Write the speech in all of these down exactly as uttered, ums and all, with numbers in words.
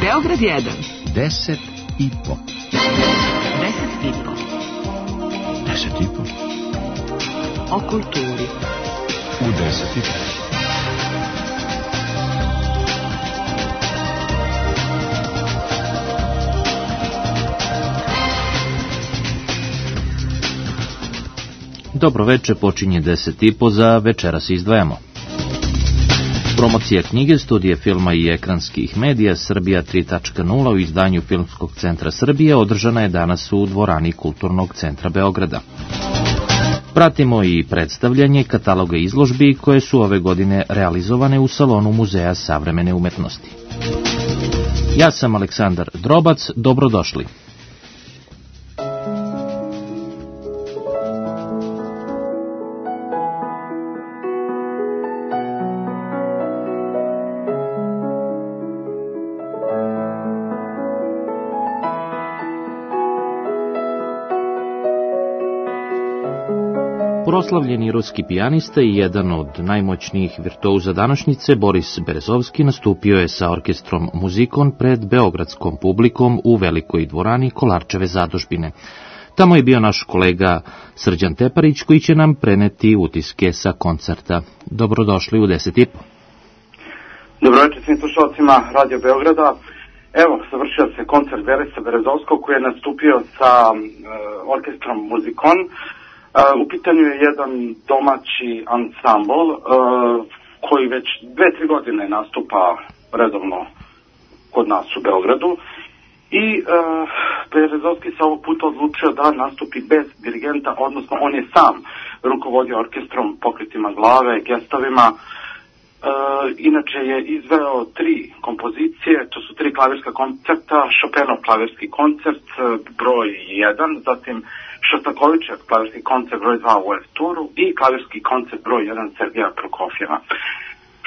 Beograd jedan. Deset i po. Deset i po. Deset i po. O kulturi. U deset i po. Dobro veče, počinje deset i po, za večeras izdvajamo. Promocija knjige, studije filma i ekranskih medija Srbija tri tačka nula u izdanju Filmskog centra Srbije održana je danas u dvorani Kulturnog centra Beograda. Pratimo i predstavljanje kataloga izložbi koje su ove godine realizovane u salonu Muzeja savremene umetnosti. Ja sam Aleksandar Drobac, dobrodošli. Proslavljeni ruski pijanista i jedan od najmoćnijih virtuoza današnjice, Boris Berezovski, nastupio je sa orkestrom Muzikon pred beogradskom publikom u velikoj dvorani Kolarčeve zadužbine. Tamo je bio naš kolega Srđan Teparić, koji će nam preneti utiske sa koncerta. Dobrodošli u deset i po. Dobro večer svim slušalcima Radio Beograda. Evo, završio se koncert Borisa Berezovskog koji je nastupio sa uh, orkestrom Muzikon. Uh, u pitanju je jedan domaći ansambl uh, koji već dve, tri godine nastupa redovno kod nas u Beogradu i uh, Berezovski se ovog puta odlučio da nastupi bez dirigenta, odnosno on je sam rukovodio orkestrom, pokretima glave, gestovima. Uh, inače je izveo tri kompozicije, to su tri klavirska koncerta, Chopinov klavirski koncert broj jedan, zatim Šostakovićev klavirski koncert broj dva u F-turu i klavirski koncert broj jedan Sergeja Prokofjeva.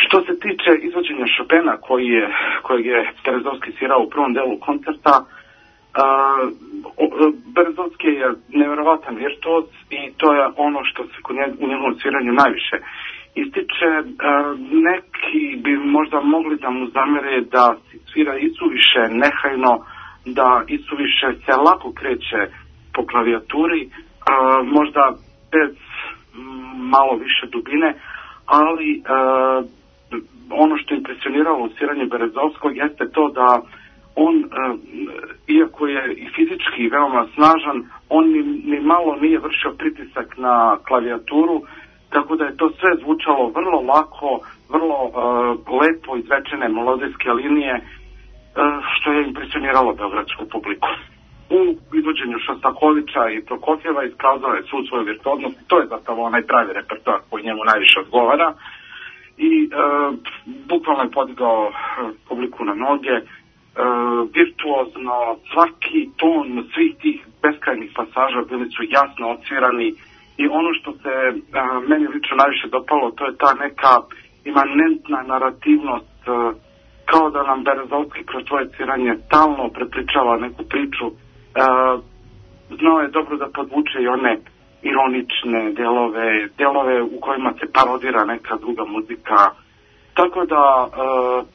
Što se tiče izvođenja Chopina koji je, kojeg je Berezovski svirao u prvom delu koncerta, uh, Berezovski je nevjerovatan virtuoz i to je ono što se kod njeg, u njegovom sviranju najviše ističe. Uh, neki bi možda mogli da mu zamere da svira isuviše nehajno, da isuviše se lako kreće po klavijaturi, uh, možda bez m, malo više dubine, ali uh, ono što je impresioniralo u sviranju Berezovskog jeste to da on, uh, iako je i fizički veoma snažan, on ni, ni malo nije vršio pritisak na klavijaturu, tako da je to sve zvučalo vrlo lako, vrlo uh, lepo izrečene melodijske linije, uh, što je impresioniralo beogradsku publiku. U izvođenju Šostakovića i Prokofjeva iskazao je svu svoju virtuoznost. To je zapravo onaj pravi repertoar koji njemu najviše odgovara i e, bukvalno je podigao publiku na noge, e, virtuozno, svaki ton svih tih beskrajnih pasaža bili su jasno odsvirani i ono što se e, meni lično najviše dopalo, to je ta neka imanentna narativnost, e, kao da nam Berezovski kroz svoje sviranje stalno prepričava neku priču. Uh, znao je dobro da podvuče i one ironične delove, delove u kojima se parodira neka druga muzika. Tako da uh,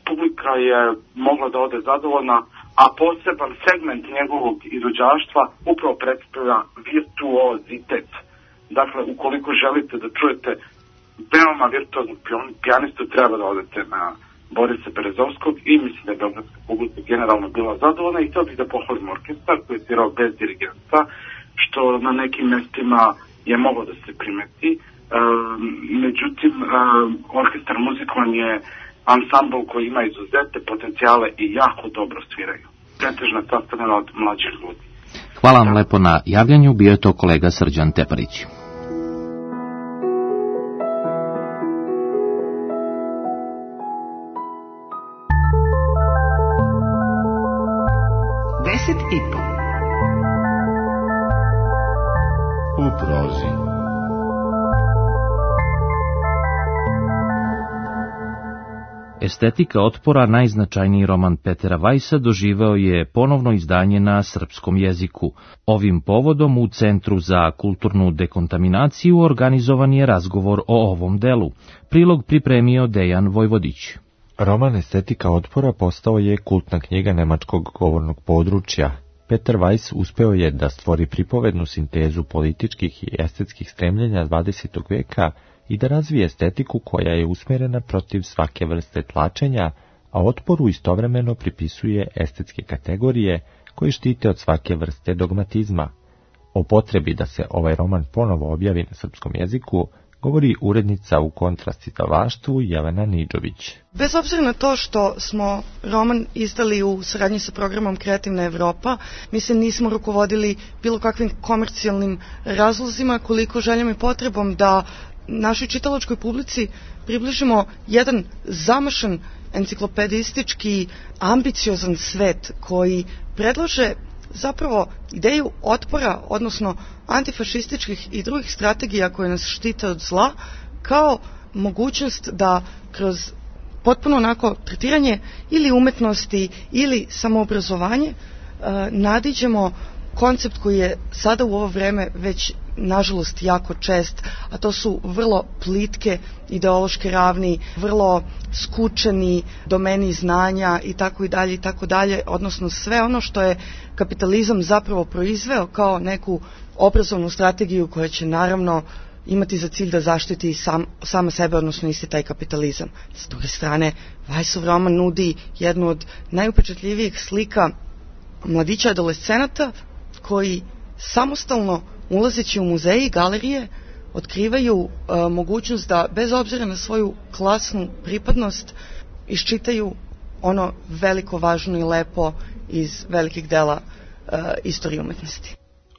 publika je mogla da ode zadovoljna, a poseban segment njegovog izvođaštva upravo predstavlja virtuozitet. Dakle, ukoliko želite da čujete veoma virtuoznog pijanistu, treba da odete na Borisa Berezovskog i mislim da je beogradska publika generalno bila zadovoljna i htio bih da pohvalim orkestar koji je svirao bez dirigenta, što na nekim mestima je moglo da se primeti. E, međutim, e, orkestar Muzikon je ansambl koji ima izuzetne potencijale i jako dobro sviraju. Pretežna sastavljena od mlađih ljudi. Hvala vam lepo na javljanju, bio je to kolega Srđan Teparić. Deset i po. U prozi. Estetika otpora, najznačajniji roman Petera Vajsa, doživeo je ponovno izdanje na srpskom jeziku. Ovim povodom u Centru za kulturnu dekontaminaciju organizovan je razgovor o ovom delu. Prilog pripremio Dejan Vojvodić. Roman Estetika otpora postao je kultna knjiga nemačkog govornog područja. Peter Weiss uspeo je da stvori pripovednu sintezu političkih i estetskih stremljenja dvadesetog veka i da razvije estetiku koja je usmjerena protiv svake vrste tlačenja, a otporu istovremeno pripisuje estetske kategorije koje štite od svake vrste dogmatizma. O potrebi da se ovaj roman ponovo objavi na srpskom jeziku govori urednica u kontrastizdavaštvu Jelena Nidžović. Bez obzira na to što smo roman izdali u saradnji sa programom Kreativna Evropa, mi se nismo rukovodili bilo kakvim komercijalnim razlozima, koliko željom i potrebom da našoj čitalačkoj publici približimo jedan zamašan enciklopedistički, ambiciozan svet koji predlaže zapravo ideju otpora, odnosno antifašističkih i drugih strategija koje nas štite od zla, kao mogućnost da kroz potpuno onako tretiranje ili umetnosti ili samoobrazovanje nadiđemo koncept koji je sada u ovo vreme već nažalost jako čest, a to su vrlo plitke ideološke ravni, vrlo skučeni domeni znanja i tako i dalje i tako dalje, odnosno sve ono što je kapitalizam zapravo proizveo kao neku obrazovnu strategiju koja će naravno imati za cilj da zaštiti sam, sama sebe, odnosno isti taj kapitalizam. S druge strane, Weissov roman nudi jednu od najupečatljivijih slika mladića adolescenata koji samostalno ulazeći u muzeje i galerije otkrivaju e, mogućnost da bez obzira na svoju klasnu pripadnost iščitaju ono veliko, važno i lepo iz velikih dela e, istorije umetnosti.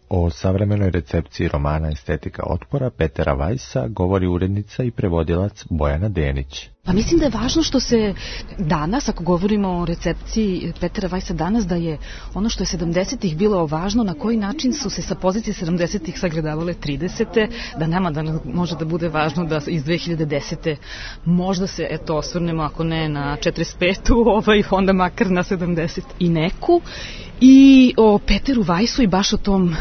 O savremenoj recepciji romana Estetika otpora Petera Weissa govori urednica i prevodilac Bojana Denić. Pa mislim da je važno što se danas, ako govorimo o recepciji Petera Weissa danas, da je ono što je sedamdesetih bilo važno, na koji način su se sa pozicije sedamdesetih sagledavale tridesete, da nama da može da bude važno da iz dve hiljade desete možda se eto osvrnemo, ako ne na četrdeset petu, ovaj, onda makar na sedamdeset i neku. I o Peteru Weissu i baš o tom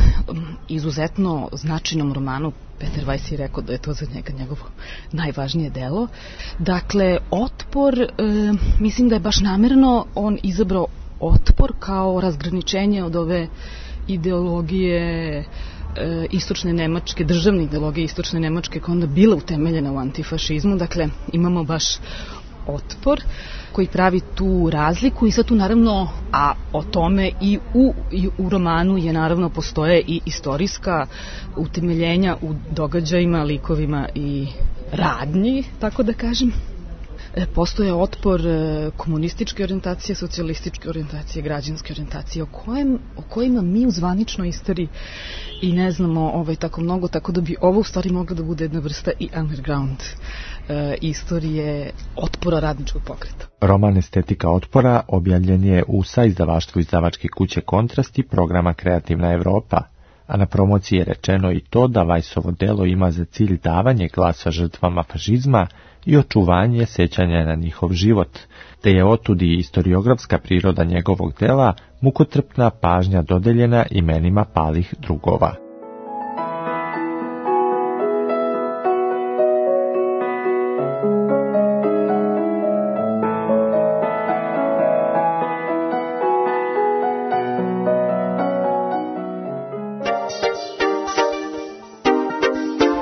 izuzetno značajnom romanu. Peter Weiss je rekao da je to za njega njegovo najvažnije delo. Dakle, otpor, e, mislim da je baš namerno on izabrao otpor kao razgraničenje od ove ideologije e, istočne Nemačke, državne ideologije istočne Nemačke koja onda bila utemeljena u antifašizmu. Dakle, imamo baš otpor koji pravi tu razliku i sad tu naravno, a o tome i u, i u romanu je naravno postoje i istorijska utemeljenja u događajima, likovima i radnji, tako da kažem. Postoje otpor komunističke orijentacije, socijalističke orijentacije, građanske orijentacije, o, kojem, o kojima mi u zvaničnoj istoriji i ne znamo ovaj, tako mnogo, tako da bi ovo u stvari mogla da bude jedna vrsta i underground e, istorije otpora radničkog pokreta. Roman Estetika otpora objavljen je u saizdavaštvu izdavačke kuće Kontrast i programa Kreativna Evropa, a na promociji je rečeno i to da Weissovo delo ima za cilj davanje glasa žrtvama fašizma i očuvanje sećanja na njihov život, te je otudi istoriografska priroda njegovog dela mukotrpna pažnja dodeljena imenima palih drugova.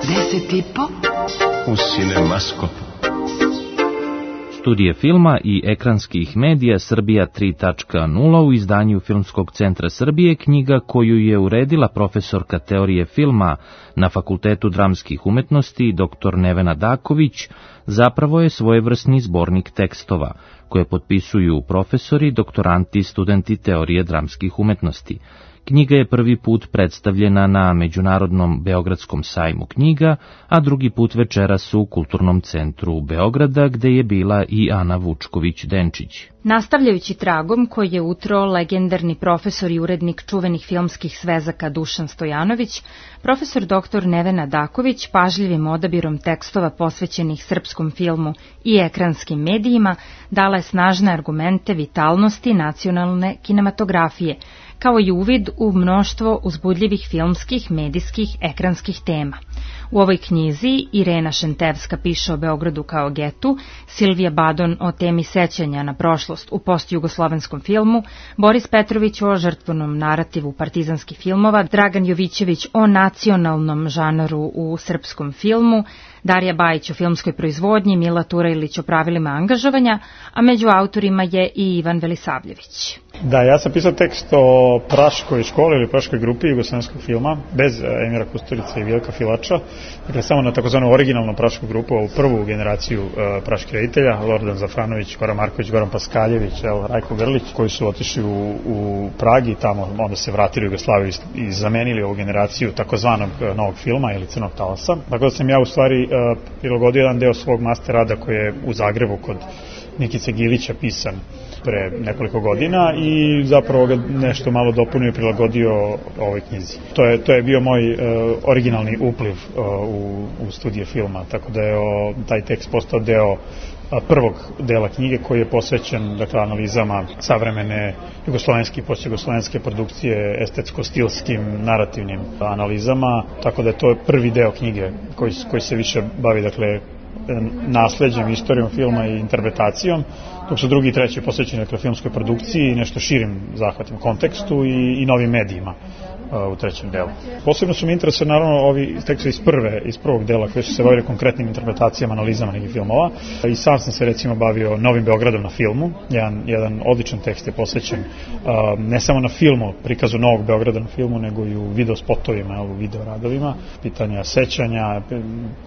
Deset i po U Cinemaskopu. Studije filma i ekranskih medija Srbija tri tačka nula u izdanju Filmskog centra Srbije, knjiga koju je uredila profesorka teorije filma na Fakultetu dramskih umetnosti doktor Nevena Daković, zapravo je svojevrsni zbornik tekstova koje potpisuju profesori, doktoranti i studenti teorije dramskih umetnosti. Knjiga je prvi put predstavljena na Međunarodnom Beogradskom sajmu knjiga, a drugi put večeras u Kulturnom centru Beograda, gde je bila i Ana Vučković-Denčić. Nastavljajući tragom koji je utro legendarni profesor i urednik čuvenih filmskih svezaka Dušan Stojanović, profesor doktor Nevena Daković pažljivim odabirom tekstova posvećenih srpskom filmu i ekranskim medijima dala je snažne argumente vitalnosti nacionalne kinematografije, kao i uvid u mnoštvo uzbudljivih filmskih, medijskih, ekranskih tema. U ovoj knjizi Irena Šentevska piše o Beogradu kao getu, Silvija Badon o temi sećanja na prošlost u postjugoslovenskom filmu, Boris Petrović o žrtvenom narativu partizanskih filmova, Dragan Jovićević o nacionalnom žanru u srpskom filmu, Darija Bajić o filmskoj proizvodnji, Mila Turajlić o pravilima angažovanja, a među autorima je i Ivan Velisavljević. Da, ja sam pisao tekst o praškoj školi ili praškoj grupi jugoslovenskog filma, bez Emira Kusturice i Vilka Filača, dakle samo na takozvanu originalnu prašku grupu, ovu prvu generaciju uh, praških reditelja, Lordan Zafranović, Goran Marković, Goran Paskaljević, el, Rajko Grlić, koji su otišli u, u Pragi, tamo onda se vratili u Jugoslaviju i zamenili ovu generaciju takozvanog uh, novog filma ili Crnog talasa. Tako da sam ja u stvari uh, prilagodio jedan deo svog master rada koji je u Zagrebu kod Nikice Gilića pisan pre nekoliko godina i zapravo ga nešto malo dopunio i prilagodio ovoj knjizi. To je, to je bio moj uh, originalni upliv uh, u, u studije filma, tako da je o, taj tekst postao deo uh, prvog dela knjige koji je posvećen dakle, analizama savremene jugoslovenske i postjugoslovenske produkcije, estetsko-stilskim, narativnim analizama, tako da je to prvi deo knjige koji, koji se više bavi dakle, nasleđem, istorijom filma i interpretacijom, dok su drugi i treći posvećeni dakle, filmskoj produkciji i nešto širim zahvatnim kontekstu i, i novim medijima u trećem delu. Posebno su mi interesovali naravno ovi tekstovi iz prve, iz prvog dela koji su se bavili konkretnim interpretacijama, analizama nekih filmova i sam sam se recimo bavio Novim Beogradom na filmu. Jedan, jedan odličan tekst je posvećen uh, ne samo na filmu, prikazu Novog Beograda na filmu, nego i u video spotovima, u video radovima, pitanja sećanja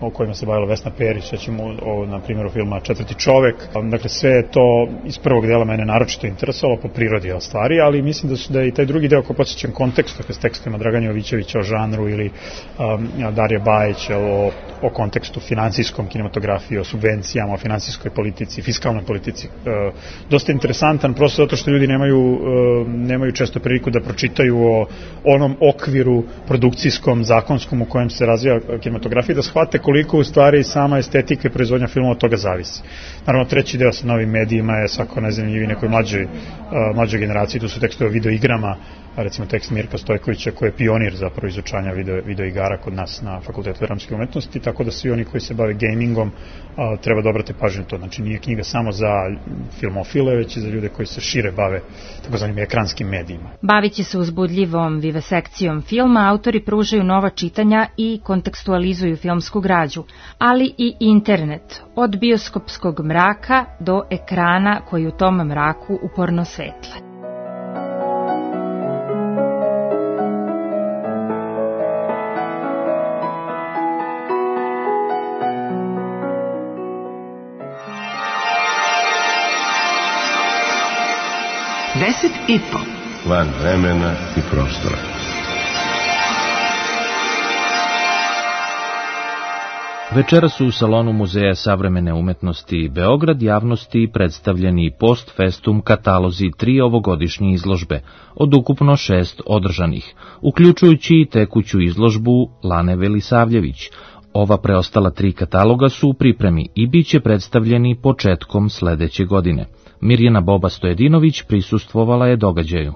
o kojima se bavila Vesna Perić, sećamo o, na primjeru filma Četvrti čovek. Dakle, sve je to iz prvog dela mene naročito interesovalo po prirodi stvari, ali mislim da su da je i taj drugi deo koji posvećen kontekstu, dakle, tekstima Dragana Jovićevića o žanru ili um, Darija Bajić o, o kontekstu finansijskom kinematografiji, o subvencijama, o finansijskoj politici, fiskalnoj politici. E, dosta interesantan, prosto zato što ljudi nemaju, e, nemaju često priliku da pročitaju o onom okviru produkcijskom, zakonskom u kojem se razvija kinematografija, da shvate koliko u stvari sama estetika i proizvodnja filma od toga zavisi. Naravno, treći deo sa novim medijima je svako najzanimljiviji nekoj mlađoj, mlađoj generaciji, tu su tekstovi o videoigrama, recimo tekst Mirka Stojkovića koji je pionir zapravo izučanja video, videoigara kod nas na Fakultetu dramske umetnosti, tako da svi oni koji se bave gamingom a, treba da obrate pažnju to. Znači nije knjiga samo za filmofile, već i za ljude koji se šire bave takozvanim ekranskim medijima. Bavići se uzbudljivom vivesekcijom filma, autori pružaju nova čitanja i kontekstualizuju filmsku građu, ali i internet, od bioskopskog mraka do ekrana koji u tom mraku uporno svetle. Deset i po. Van vremena i prostora. Večeras su u salonu Muzeja savremene umetnosti Beograd javnosti predstavljeni post festum katalozi tri ovogodišnje izložbe, od ukupno šest održanih, uključujući i tekuću izložbu Lane Velisavljević. Ova preostala tri kataloga su u pripremi i bit će predstavljeni početkom sledeće godine. Mirjana Boba Stojedinović prisustvovala je događaju.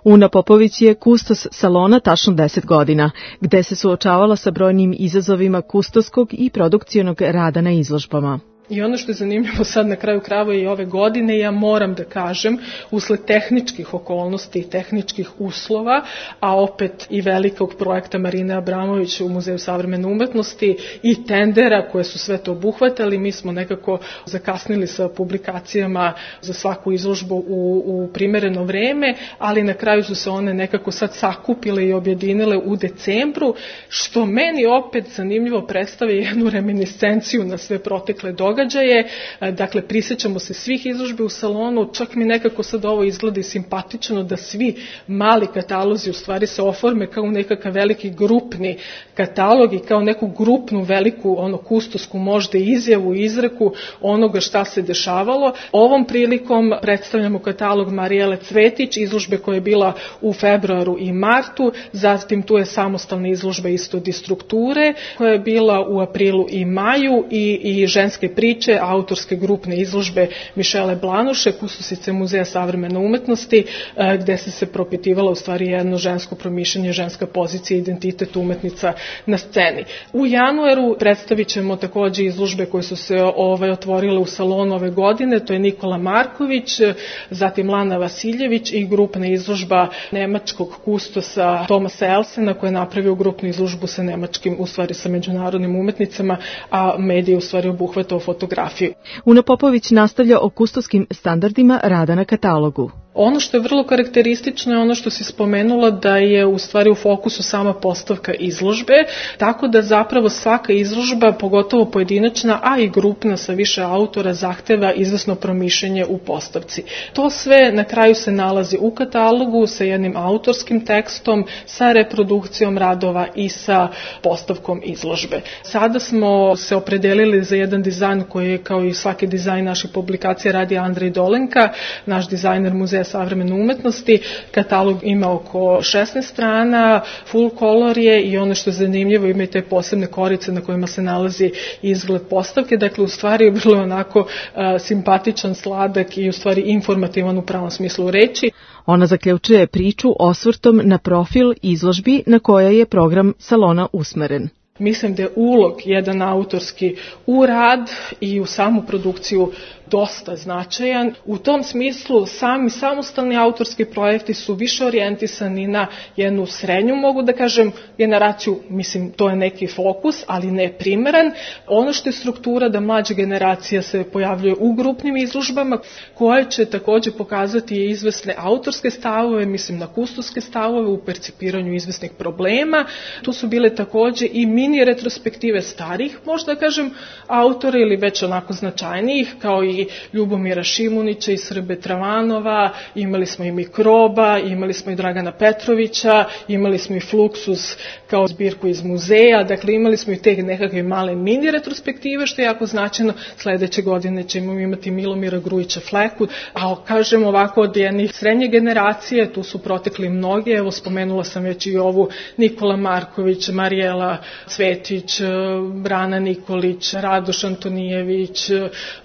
Una Popović je kustos salona tačno deset godina, gde se suočavala sa brojnim izazovima kustoskog i produkcionog rada na izložbama. I ono što je zanimljivo sad na kraju krajeva i ove godine, ja moram da kažem, usled tehničkih okolnosti i tehničkih uslova, a opet i velikog projekta Marine Abramović u Muzeju savremene umetnosti i tendera koje su sve to obuhvatali, mi smo nekako zakasnili sa publikacijama za svaku izložbu u, u primereno vreme, ali na kraju su se one nekako sad sakupile i objedinile u decembru, što meni opet zanimljivo predstavlja jednu reminiscenciju na sve protekle događaje. Događaje, dakle prisjećamo se svih izložbi u salonu, čak mi nekako sad ovo izgleda i simpatično da svi mali katalozi u stvari se oforme kao nekakav veliki grupni katalog i kao neku grupnu veliku ono kustosku možda izjavu i izreku onoga šta se dešavalo. Ovom prilikom predstavljamo katalog Marijele Cvetić, izložbe koja je bila u februaru i martu, zatim tu je samostalna izložba isto Distrukture koja je bila u aprilu i maju i, i ženske priče priče, autorske grupne izložbe Mišele Blanuše, kustosice Muzeja savremene umetnosti, gde se se propitivala u stvari jedno žensko promišljanje, ženska pozicija, identitet umetnica na sceni. U januaru predstavit ćemo takođe izložbe koje su se ovaj, otvorile u salonu ove godine, to je Nikola Marković, zatim Lana Vasiljević i grupna izložba nemačkog kustosa Tomasa Elsena, koja je napravio grupnu izložbu sa nemačkim, u stvari sa međunarodnim umetnicama, a medije u stvari obuhvatao fotografiju. Una Popović nastavlja o kustoskim standardima rada na katalogu. Ono što je vrlo karakteristično je ono što si spomenula, da je u stvari u fokusu sama postavka izložbe, tako da zapravo svaka izložba, pogotovo pojedinačna, a i grupna sa više autora, zahteva izvesno promišljenje u postavci. To sve na kraju se nalazi u katalogu sa jednim autorskim tekstom, sa reprodukcijom radova i sa postavkom izložbe. Sada smo se opredelili za jedan dizajn koji je, kao i svaki dizajn naših publikacija, radi Andrej Dolenka, naš dizajner Muzeja savremene umetnosti. Katalog ima oko šesnaest strana, full color je i ono što je zanimljivo, ima i te posebne korice na kojima se nalazi izgled postavke. Dakle, u stvari je bilo onako uh, simpatičan, sladak i u stvari informativan u pravom smislu reči. Ona zaključuje priču osvrtom na profil izložbi na koja je program salona usmeren. Mislim da je ulog jedan autorski u rad i u samu produkciju dosta značajan. U tom smislu sami samostalni autorski projekti su više orijentisani na jednu srednju, mogu da kažem, generaciju, mislim to je neki fokus, ali ne primeran. Ono što je struktura da mlađa generacija se pojavljuje u grupnim izložbama, koje će takođe pokazati izvesne autorske stavove, mislim na kustoske stavove u percipiranju izvesnih problema. Tu su bile takođe i mini retrospektive starih, možda kažem, autora ili već onako značajnijih, kao i Ljubomira Šimunića i Srbe Travanova, imali smo i Mikroba, imali smo i Dragana Petrovića, imali smo i Fluxus kao zbirku iz muzeja, dakle imali smo i te nekakve male mini retrospektive, što je jako značajno. Sledeće godine ćemo imati Milomira Grujića Fleku, a kažem ovako od jednih srednje generacije, tu su protekli mnogi, evo spomenula sam već i ovu Nikola Marković, Marijela Cvetić, Brana Nikolić, Radoš Antonijević,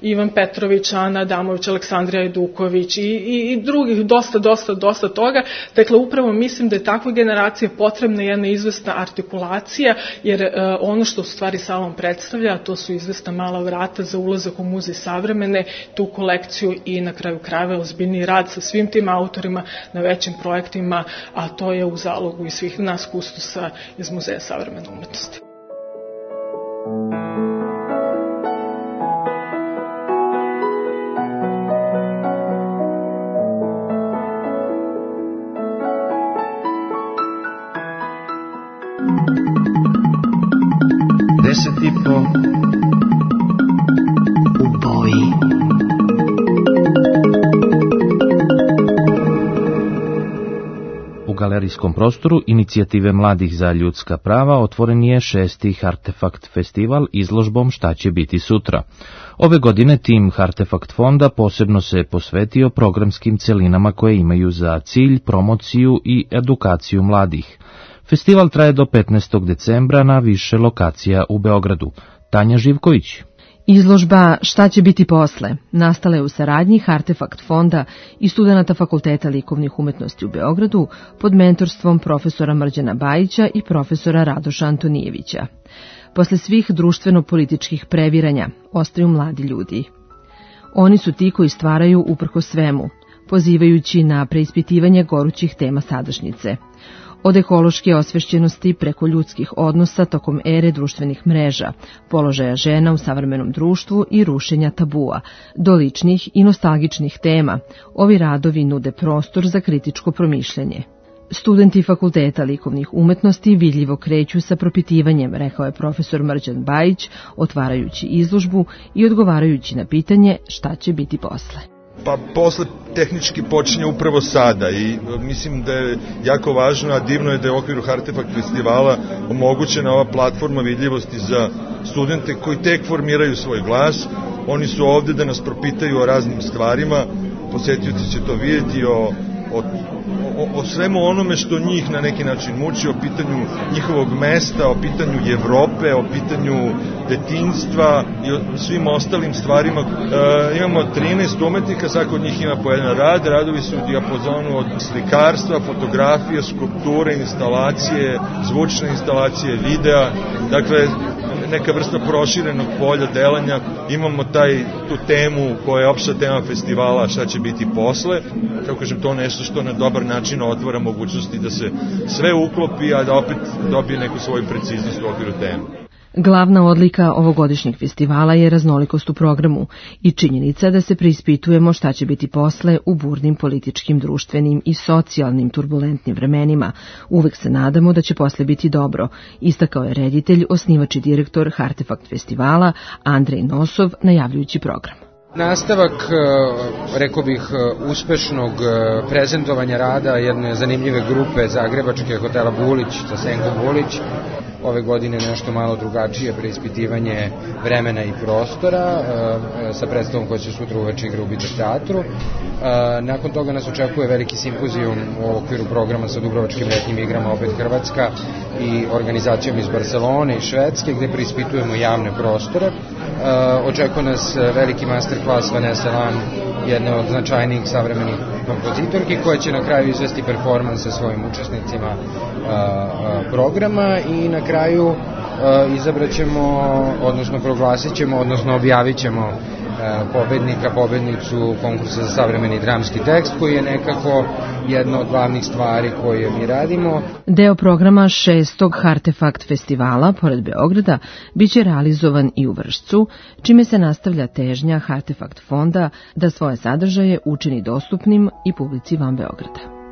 Ivan Petrović, Ana Adamović, Aleksandrija Eduković i, i, i drugih, dosta, dosta, dosta toga. Dakle, upravo mislim da je takva generacija potrebna jedna izvesna artikulacija, jer uh, ono što u stvari salon predstavlja, to su izvesna mala vrata za ulazak u Muzej savremene, tu kolekciju i na kraju krajeva ozbiljni rad sa svim tim autorima na većim projektima, a to je u zalogu i svih nas kustosa iz Muzeja savremene umetnosti. Deset i po u boji. U galerijskom prostoru Inicijative mladih za ljudska prava otvoren je šesti Hartefakt festival izložbom Šta će biti sutra. Ove godine tim Hartefakt fonda posebno se posvetio programskim celinama koje imaju za cilj promociju i edukaciju mladih. Festival traje do petnaestog decembra na više lokacija u Beogradu. Tanja Živković. Izložba Šta će biti posle nastala je u saradnji Hartefakt fonda i studenata Fakulteta likovnih umetnosti u Beogradu pod mentorstvom profesora Mrđana Bajića i profesora Radoša Antonijevića. Posle svih društveno-političkih previranja ostaju mladi ljudi. Oni su ti koji stvaraju uprko svemu, pozivajući na preispitivanje gorućih tema sadašnjice. Od ekološke osvešćenosti preko ljudskih odnosa tokom ere društvenih mreža, položaja žena u savremenom društvu i rušenja tabua, do ličnih i nostalgičnih tema, ovi radovi nude prostor za kritičko promišljanje. Studenti Fakulteta likovnih umetnosti vidljivo kreću sa propitivanjem, rekao je profesor Mrđan Bajić, otvarajući izložbu i odgovarajući na pitanje šta će biti posle. Pa posle tehnički počinje upravo sada i mislim da je jako važno, a divno je da je u okviru Hartefakt festivala omogućena ova platforma vidljivosti za studente koji tek formiraju svoj glas. Oni su ovde da nas propitaju o raznim stvarima, posjetioci će to vidjeti, o o, o, o svemu onome što njih na neki način muči, o pitanju njihovog mesta, o pitanju Evrope, o pitanju detinjstva i o svim ostalim stvarima. E, imamo trinaest umetnika, svako od njih ima po jedan rad, radovi su u dijapazonu od slikarstva, fotografije, skulpture, instalacije, zvučne instalacije, videa, dakle neka vrsta proširenog polja delanja. Imamo taj, tu temu koja je opšta tema festivala, šta će biti posle. Kako kažem, to nešto što na dobar način otvara mogućnosti da se sve uklopi, a da opet dobije neku svoju preciznost u okviru teme. Glavna odlika ovogodišnjeg festivala je raznolikost u programu i činjenica da se preispitujemo šta će biti posle u burnim političkim, društvenim i socijalnim turbulentnim vremenima. Uvek se nadamo da će posle biti dobro, istakao je reditelj, osnivač i direktor Hartefakt festivala Andrej Nosov, najavljujući program. Nastavak, rekao bih, uspešnog prezentovanja rada jedne zanimljive grupe zagrebačke hotela Bulić sa Senkom Bulić. Ove godine nešto malo drugačije preispitivanje vremena i prostora sa predstavom koja će sutra uveče igra u Bidža teatru. Nakon toga nas očekuje veliki simpozijum u okviru programa sa Dubrovačkim letnjim igrama, opet Hrvatska, i organizacijom iz Barcelone i Švedske, gde preispitujemo javne prostore. Očekuje nas veliki masterclass Vanessa Lan, jedne od značajnijih savremenih kompozitorki, koja će na kraju izvesti performans sa svojim učesnicima programa i na kraju izabraćemo, odnosno proglasit ćemo, odnosno objavit ćemo pobednika, pobednicu konkursa za savremeni dramski tekst, koji je nekako jedna od glavnih stvari koje mi radimo. Deo programa šestog Hartefakt festivala, pored Beograda, biće realizovan i u Vršcu, čime se nastavlja težnja Hartefakt fonda da svoje sadržaje učini dostupnim i publici van Beograda.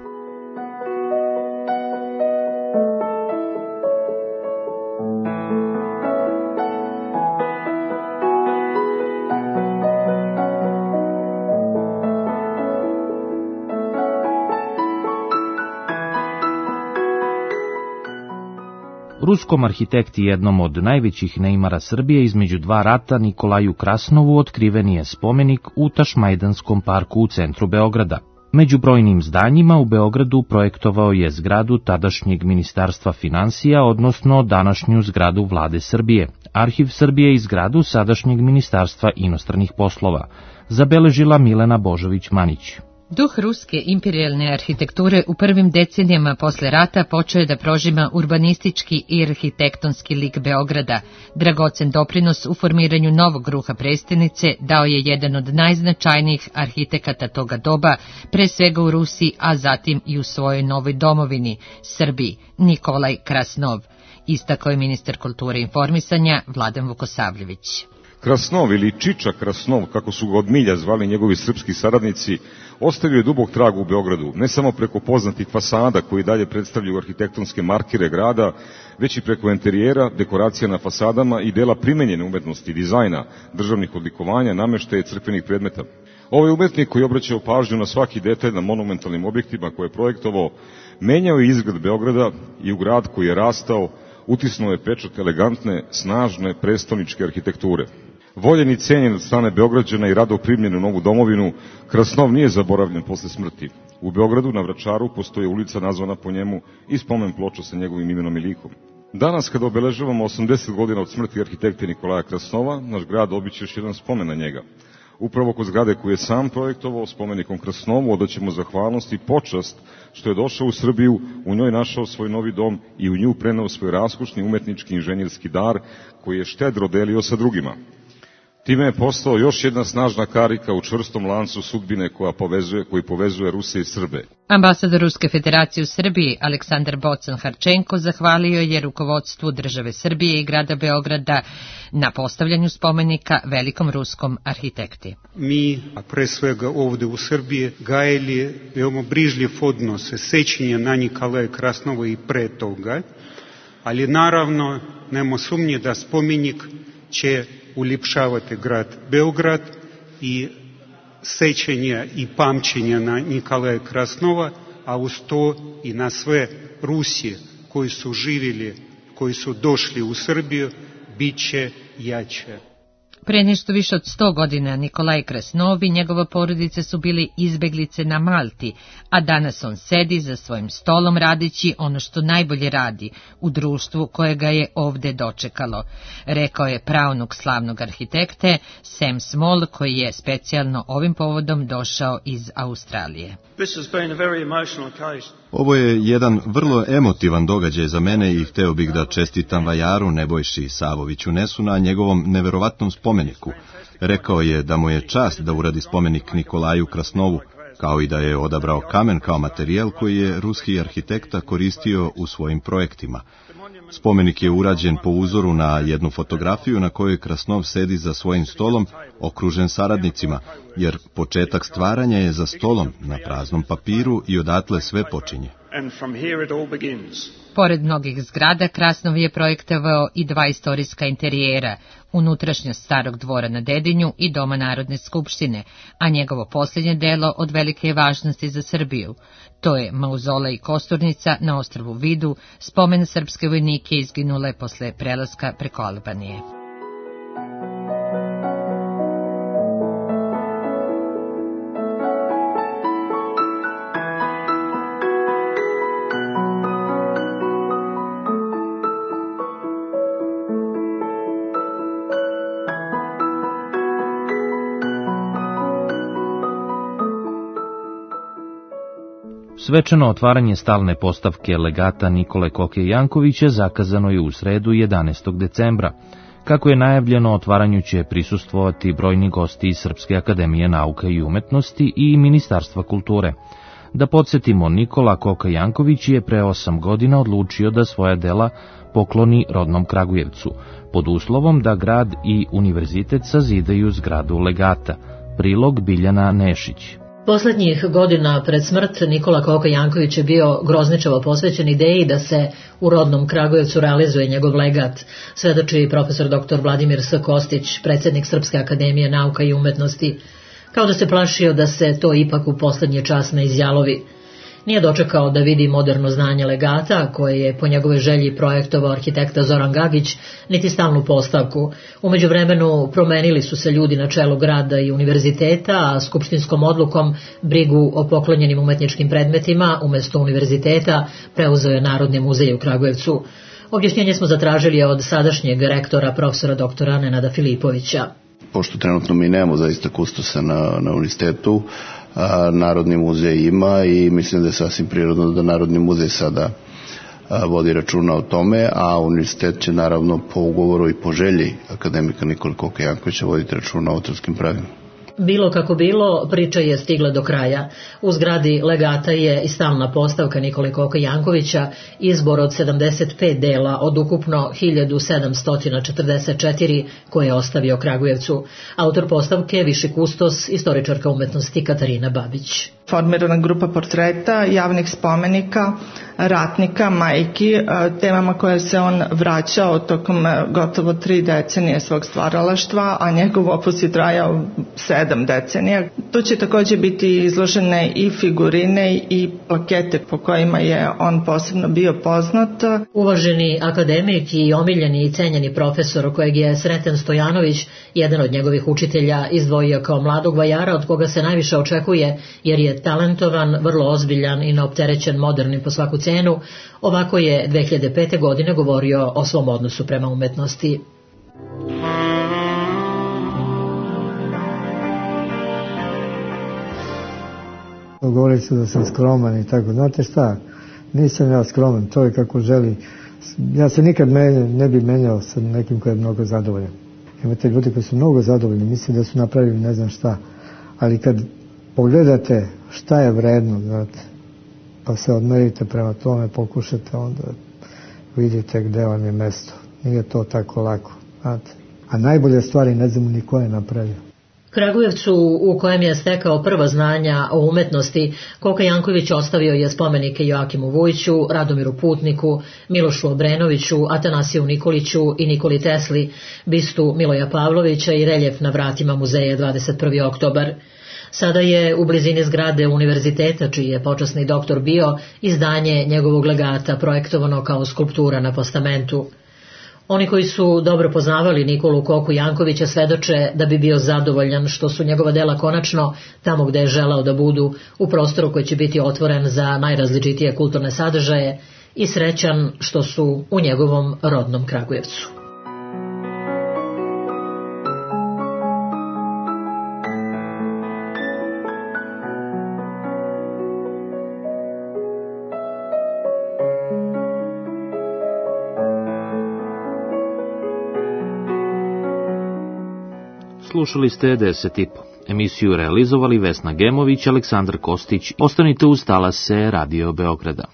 Ruskom arhitekti, jednom od najvećih neimara Srbije između dva rata, Nikolaju Krasnovu, otkriven je spomenik u Tašmajdanskom parku u centru Beograda. Među brojnim zdanjima u Beogradu projektovao je zgradu tadašnjeg Ministarstva finansija, odnosno današnju zgradu Vlade Srbije, Arhiv Srbije i zgradu sadašnjeg Ministarstva inostranih poslova, zabeležila Milena Božović-Manić. Duh ruske imperijalne arhitekture u prvim decenijama posle rata počeo je da prožima urbanistički i arhitektonski lik Beograda. Dragocen doprinos u formiranju novog ruha prestonice dao je jedan od najznačajnijih arhitekata toga doba, pre svega u Rusiji, a zatim i u svojoj novoj domovini, Srbiji, Nikolaj Krasnov, istakao je ministar kulture i informisanja Vladan Vukosavljević. Krasnov ili Čiča Krasnov, kako su ga od milja zvali njegovi srpski saradnici, ostavio je dubok trag u Beogradu, ne samo preko poznatih fasada koji dalje predstavljaju arhitektonske markire grada, već i preko interijera, dekoracija na fasadama i dela primenjene umetnosti, dizajna, državnih odlikovanja, nameštaja i crkvenih predmeta. Ovaj umetnik koji je obraćao pažnju na svaki detalj na monumentalnim objektima koje je projektovao, menjao je izgled Beograda i u grad koji je rastao, utisnuo je pečat elegantne, snažne, prestoničke arhitekture. Voljen i cenjen od strane Beograđana i rado primljen u novu domovinu, Krasnov nije zaboravljen posle smrti. U Beogradu na Vračaru postoji ulica nazvana po njemu i spomen ploča sa njegovim imenom i likom. Danas, kada obeležavamo osamdeset godina od smrti arhitekte Nikolaja Krasnova, naš grad obiće još jedan spomen na njega. Upravo kod zgrade koju je sam projektovao spomenikom Krasnovu odaćemo zahvalnost i počast što je došao u Srbiju, u njoj našao svoj novi dom i u nju preneo svoj raskošni umetnički inženjerski dar koji je štedro delio sa drugima. Time je postao još jedna snažna karika u čvrstom lancu sudbine koja povezuje, koji povezuje Ruse i Srbe. Ambasador Ruske federacije u Srbiji Aleksandar Bocan-Harčenko zahvalio je rukovodstvu države Srbije i grada Beograda na postavljanju spomenika velikom ruskom arhitekti. Mi, a pre svega ovde u Srbiji, gajili veoma brižljiv odnos sećanja na Nikolaja Krasnova i pre toga, ali naravno nema sumnje da spomenik će uljepšavati grad Beograd i sećanja i pamćenja na Nikolaja Krasnova, a uz to i na sve Rusije koji su živjeli, koji su došli u Srbiju, bit će jače. Pre nešto više od sto godina Nikolaj Krasnov i njegova porodica su bili izbeglice na Malti, a danas on sedi za svojim stolom radeći ono što najbolje radi u društvu koje ga je ovde dočekalo, rekao je praunuk slavnog arhitekte Sam Small, koji je specijalno ovim povodom došao iz Australije. Ovo je jedan vrlo emotivan događaj za mene i hteo bih da čestitam vajaru Nebojši Savoviću Nesu na njegovom neverovatnom spomeniku. Rekao je da mu je čast da uradi spomenik Nikolaju Krasnovu, kao i da je odabrao kamen kao materijal koji je ruski arhitekta koristio u svojim projektima. Spomenik je urađen po uzoru na jednu fotografiju na kojoj Krasnov sedi za svojim stolom, okružen saradnicima, jer početak stvaranja je za stolom, na praznom papiru i odatle sve počinje. Pored mnogih zgrada, Krasnov je projektovao i dva istorijska interijera, unutrašnjost starog dvora na Dedinju i Doma Narodne skupštine, a njegovo posljednje delo od velike je važnosti za Srbiju. To je mauzolej Kosturnica na ostrvu Vidu, spomen srpske vojnike izginule posle prelaska preko Albanije. Svečano otvaranje stalne postavke legata Nikole Koke Jankovića zakazano je u sredu jedanaestog decembra. Kako je najavljeno, otvaranju će prisustvovati brojni gosti iz Srpske akademije nauka i umetnosti i Ministarstva kulture. Da podsjetimo, Nikola Koka Janković je pre osam godina odlučio da svoja dela pokloni rodnom Kragujevcu, pod uslovom da grad i univerzitet sazidaju zgradu legata. Prilog Biljana Nešić. Poslednjih godina pred smrt Nikola Koka Janković je bio grozničavo posvećen ideji da se u rodnom Kragujevcu realizuje njegov legat, svedoči profesor doktor Vladimir S. Kostić, predsjednik Srpske akademije nauka i umetnosti, kao da se plašio da se to ipak u poslednji čas ne izjalovi. Nije dočekao da vidi moderno znanje legata, koje je po njegove želji projektovao arhitekta Zoran Gagić, niti stalnu postavku. Umeđu vremenu promenili su se ljudi na čelu grada i univerziteta, a skupštinskom odlukom brigu o poklonjenim umetničkim predmetima umesto univerziteta preuzeo je Narodni muzej u Kragujevcu. Objašnjenje smo zatražili od sadašnjeg rektora profesora doktora Nenada Filipovića. Pošto trenutno mi nemamo zaista kustosa na, na univerzitetu, a, Narodni muzej ima i mislim da je sasvim prirodno da Narodni muzej sada a, vodi računa o tome, a univerzitet će naravno po ugovoru i po želji akademika Nikole Koke Jankovića voditi računa o autorskim pravima. Bilo kako bilo, priča je stigla do kraja. U zgradi legata je i stalna postavka Nikole Koke Jankovića, izbor od sedamdeset pet dela od ukupno hiljadu sedamsto četrdeset četiri koje je ostavio Kragujevcu. Autor postavke je viši kustos, istoričarka umetnosti Katarina Babić. Formirana grupa portreta, javnih spomenika, ratnika, majki, temama koje se on vraćao tokom gotovo tri decenije svog stvaralaštva, a njegov opus je trajao sedam decenija. Tu će također biti izložene i figurine i plakete po kojima je on posebno bio poznat. Uvaženi akademik i omiljeni i cenjeni profesor kojeg je Sreten Stojanović, jedan od njegovih učitelja, izdvojio kao mladog vajara od koga se najviše očekuje jer je talentovan, vrlo ozbiljan i neopterećen modernim po svaku cenu, ovako je dve hiljade pete. godine govorio o svom odnosu prema umetnosti. Govori se da sam skroman i tako. Znate šta, nisam ja skroman, to je kako želi. Ja se nikad menja, ne bi menjao sa nekim koji je mnogo zadovoljan. Imate ljudi koji su mnogo zadovoljni, mislim da su napravili ne znam šta, ali kad pogledate šta je vredno, znate, pa se odmerite prema tome, pokušate, onda vidite gde vam je mesto. Nije to tako lako, znate. A najbolje stvari ne znamo ni ko je napravio. Kragujevcu, u kojem je stekao prva znanja o umetnosti, Koka Janković ostavio je spomenike Joakimu Vujiću, Radomiru Putniku, Milošu Obrenoviću, Atanasiju Nikoliću i Nikoli Tesli, bistu Miloja Pavlovića i reljef na vratima muzeja dvadeset prvi oktobar. Sada je u blizini zgrade univerziteta, čiji je počasni doktor bio, izdanje njegovog legata projektovano kao skulptura na postamentu. Oni koji su dobro poznavali Nikolu Koku Jankovića svedoče da bi bio zadovoljan što su njegova dela konačno tamo gde je želao da budu, u prostoru koji će biti otvoren za najrazličitije kulturne sadržaje, i srećan što su u njegovom rodnom Kragujevcu. Slušali ste deset i po. Emisiju realizovali Vesna Gemović, Aleksandar Kostić. Ostanite uz talase Radio Beograda.